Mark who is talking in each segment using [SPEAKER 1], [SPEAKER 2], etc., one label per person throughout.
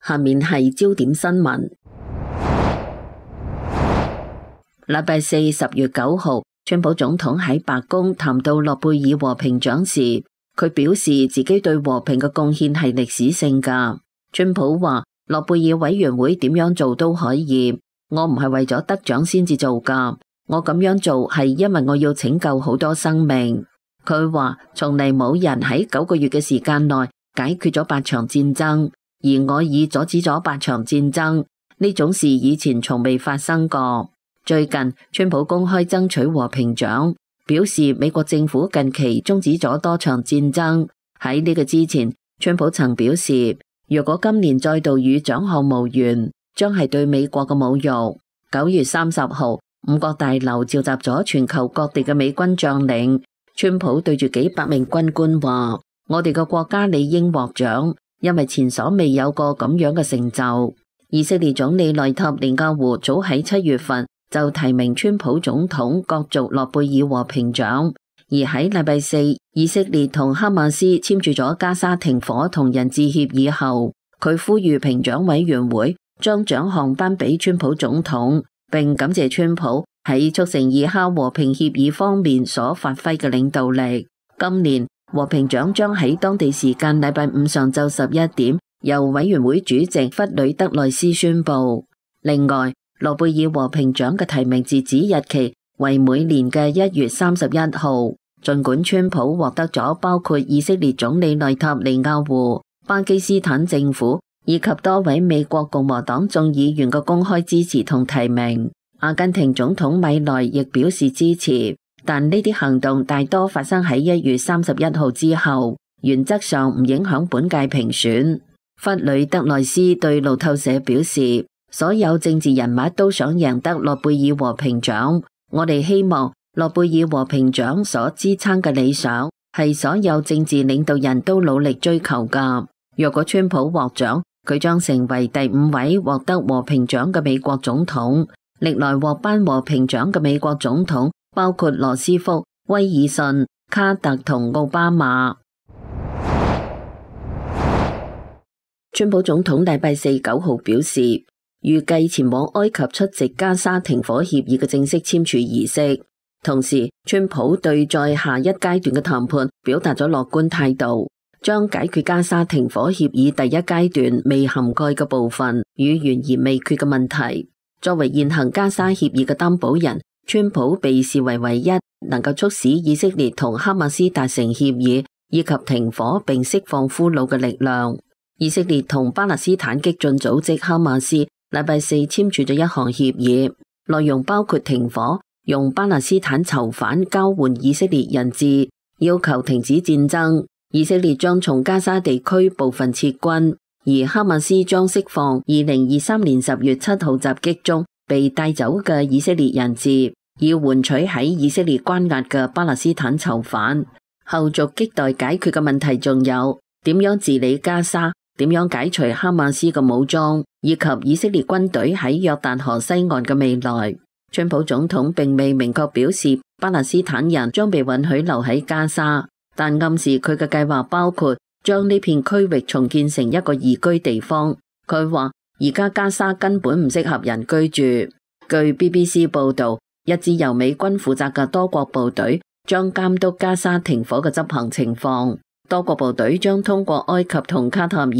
[SPEAKER 1] 下面係焦點新聞。禮拜四10月9號，川普總統喺白宮談到諾貝爾和平獎時，佢表示自己對和平嘅貢獻係歷史性㗎。川普話：諾貝爾委員會點樣做都可以，我唔係為咗得獎先至做㗎，我咁樣做係因為我要拯救好多生命。佢話：從嚟冇人喺9個月嘅時間內解決咗8場戰爭，而我已阻止咗8場戰爭，呢種事以前從未發生過。最近，川普公開爭取和平獎，表示美國政府近期終止咗多場戰爭。喺呢個之前，川普曾表示，如果今年再度與獎項無緣，將係對美國嘅侮辱。9月30號，五角大樓召集咗全球各地嘅美軍將領，川普對住幾百名軍官話：我哋嘅國家理應獲獎，因為前所未有過咁樣嘅成就。以色列總理內塔尼亞胡早喺7月份就提名川普總統角逐諾貝爾和平獎，而喺禮拜四，以色列同哈馬斯簽署咗加沙停火同人質協議後，佢呼籲評獎委員會將獎項頒俾川普總統，並感謝川普喺促成以哈和平協議方面所發揮嘅領導力。今年和平獎將喺當地時間禮拜五上晝11點由委員會主席弗里德內斯宣布。另外，諾貝爾和平獎嘅提名截止日期為每年嘅1月31號。儘管川普獲得咗包括以色列總理內塔尼亞胡、巴基斯坦政府以及多位美國共和黨眾議員嘅公開支持同提名，阿根廷總統米萊亦表示支持，但呢啲行動大多發生喺1月31號之後，原則上唔影響本屆評選。弗里德內斯對路透社表示，所有政治人物都想贏得諾貝爾和平獎，我哋希望諾貝爾和平獎所支撐嘅理想係所有政治領導人都努力追求㗎。若果川普獲獎，佢將成為第5位獲得和平獎嘅美國總統。歷來獲頒和平獎嘅美國總統包括羅斯福、威爾遜、卡特同奧巴馬。川普總統禮拜四9號表示，預計前往埃及出席加沙停火協議嘅正式簽署儀式。同時，川普對在下一階段嘅談判表達咗樂觀態度，將解決加沙停火協議第一階段未涵蓋嘅部分與懸而未決嘅問題。作為現行加沙協議嘅擔保人，川普被視為唯一能夠促使以色列同哈馬斯達成協議以及停火並釋放俘虜嘅力量。以色列同巴勒斯坦激進組織哈馬斯禮拜四簽署咗一項協議，內容包括停火，用巴勒斯坦囚犯交換以色列人質，要求停止戰爭。以色列將從加沙地區部分撤軍，而哈馬斯將釋放2023年10月7號襲擊中被帶走嘅以色列人質，以換取喺以色列關押嘅巴勒斯坦囚犯。後續亟待解決嘅問題仲有點樣治理加沙，點樣解除哈馬斯嘅武裝，以及以色列軍隊喺約旦河西岸嘅未來。川普總統並未明確表示巴勒斯坦人將被允許留喺加沙，但暗示佢嘅計劃包括將呢片區域重建成一個宜居地方。佢話而家加沙根本唔適合人居住。據 BBC 報道，一支由美軍負責嘅多國部隊將監督加沙停火嘅執行情況。多國部隊將通過埃及同卡塔爾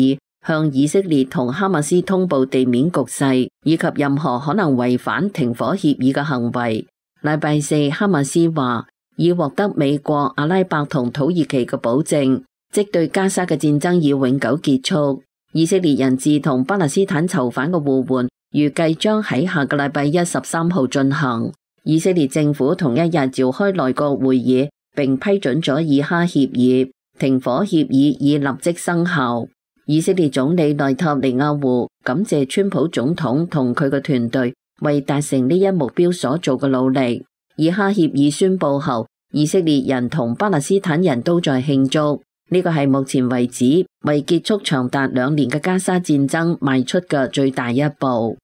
[SPEAKER 1] 向以色列同哈馬斯通報地面局勢以及任何可能違反停火協議嘅行為。禮拜四，哈馬斯話已獲得美國、阿拉伯同土耳其嘅保證，即對加沙嘅戰爭已永久結束。以色列人質同巴勒斯坦囚犯嘅互換預計將喺下個禮拜一13號進行。以色列政府同一日召開內閣會議，並批准咗以哈協議，停火協議已立即生效。以色列總理內塔尼亞胡感謝川普總統同佢嘅團隊為達成呢一目標所做嘅努力。以哈協議宣布後，以色列人同巴勒斯坦人都在慶祝，呢個係目前為止為結束長達2年嘅加沙戰爭邁出嘅最大一步。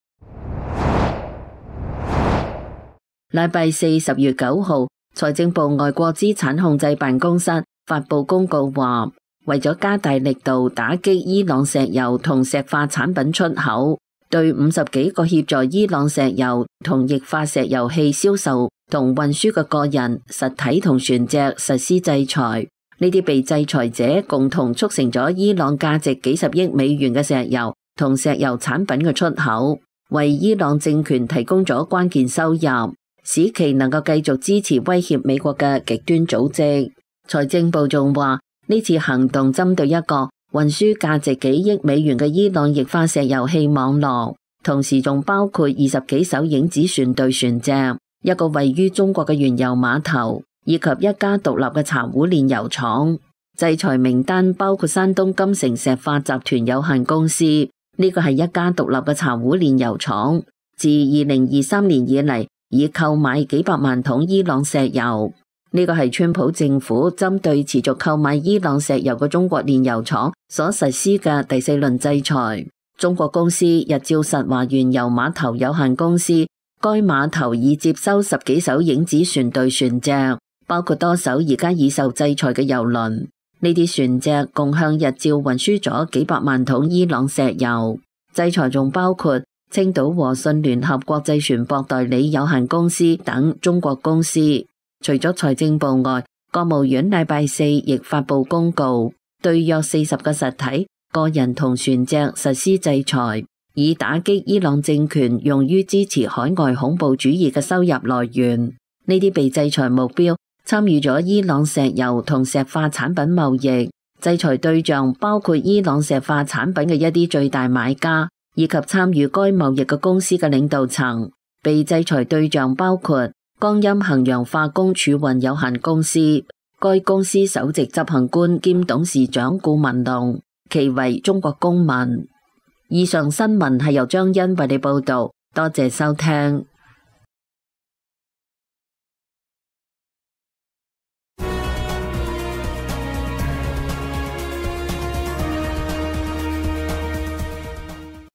[SPEAKER 1] 禮拜四10月9號，財政部外國資產控制辦公室發布公告話，為咗加大力度打擊伊朗石油同石化產品出口，對50幾個協助伊朗石油同液化石油氣銷售同運輸嘅個人、實體同船隻實施制裁。呢啲被制裁者共同促成咗伊朗價值幾十億美元嘅石油同石油產品嘅出口，為伊朗政權提供咗關鍵收入，使其能夠繼續支持威脅美國嘅極端組織。財政部仲話，呢次行動針對一個運輸價值幾億美元嘅伊朗液化石油氣網絡，同時仲包括20幾艘影子船隊船隻、一個位於中國嘅原油碼頭，以及一家獨立嘅茶壺煉油廠。制裁名單包括山東金城石化集團有限公司，呢個係一家獨立嘅茶壺煉油廠，自2023年以嚟已購買幾百萬桶伊朗石油。呢個係川普政府針對持續購買伊朗石油嘅中國煉油廠所實施嘅第4輪制裁。中國公司日照實華原油碼頭有限公司，該碼頭已接收10幾艘影子船隊船隻，包括多艘而家已受制裁嘅油輪。呢啲船隻共向日照運輸咗幾百萬桶伊朗石油。制裁仲包括青島和信聯合國際船舶代理有限公司等中國公司。除咗財政部外，國務院禮拜4亦發布公告，對約40個實體、個人同船隻實施制裁，以打擊伊朗政權用於支持海外恐怖主義嘅收入來源。呢啲被制裁目標參與咗伊朗石油同石化產品貿易，制裁對象包括伊朗石化產品嘅一啲最大買家，以及參與該貿易嘅公司嘅領導層。被制裁對象包括江陰衡陽化工儲運有限公司，該公司首席執行官兼董事長顧文龍，其為中國公民。以上新聞係由張欣為你報道，多謝收聽。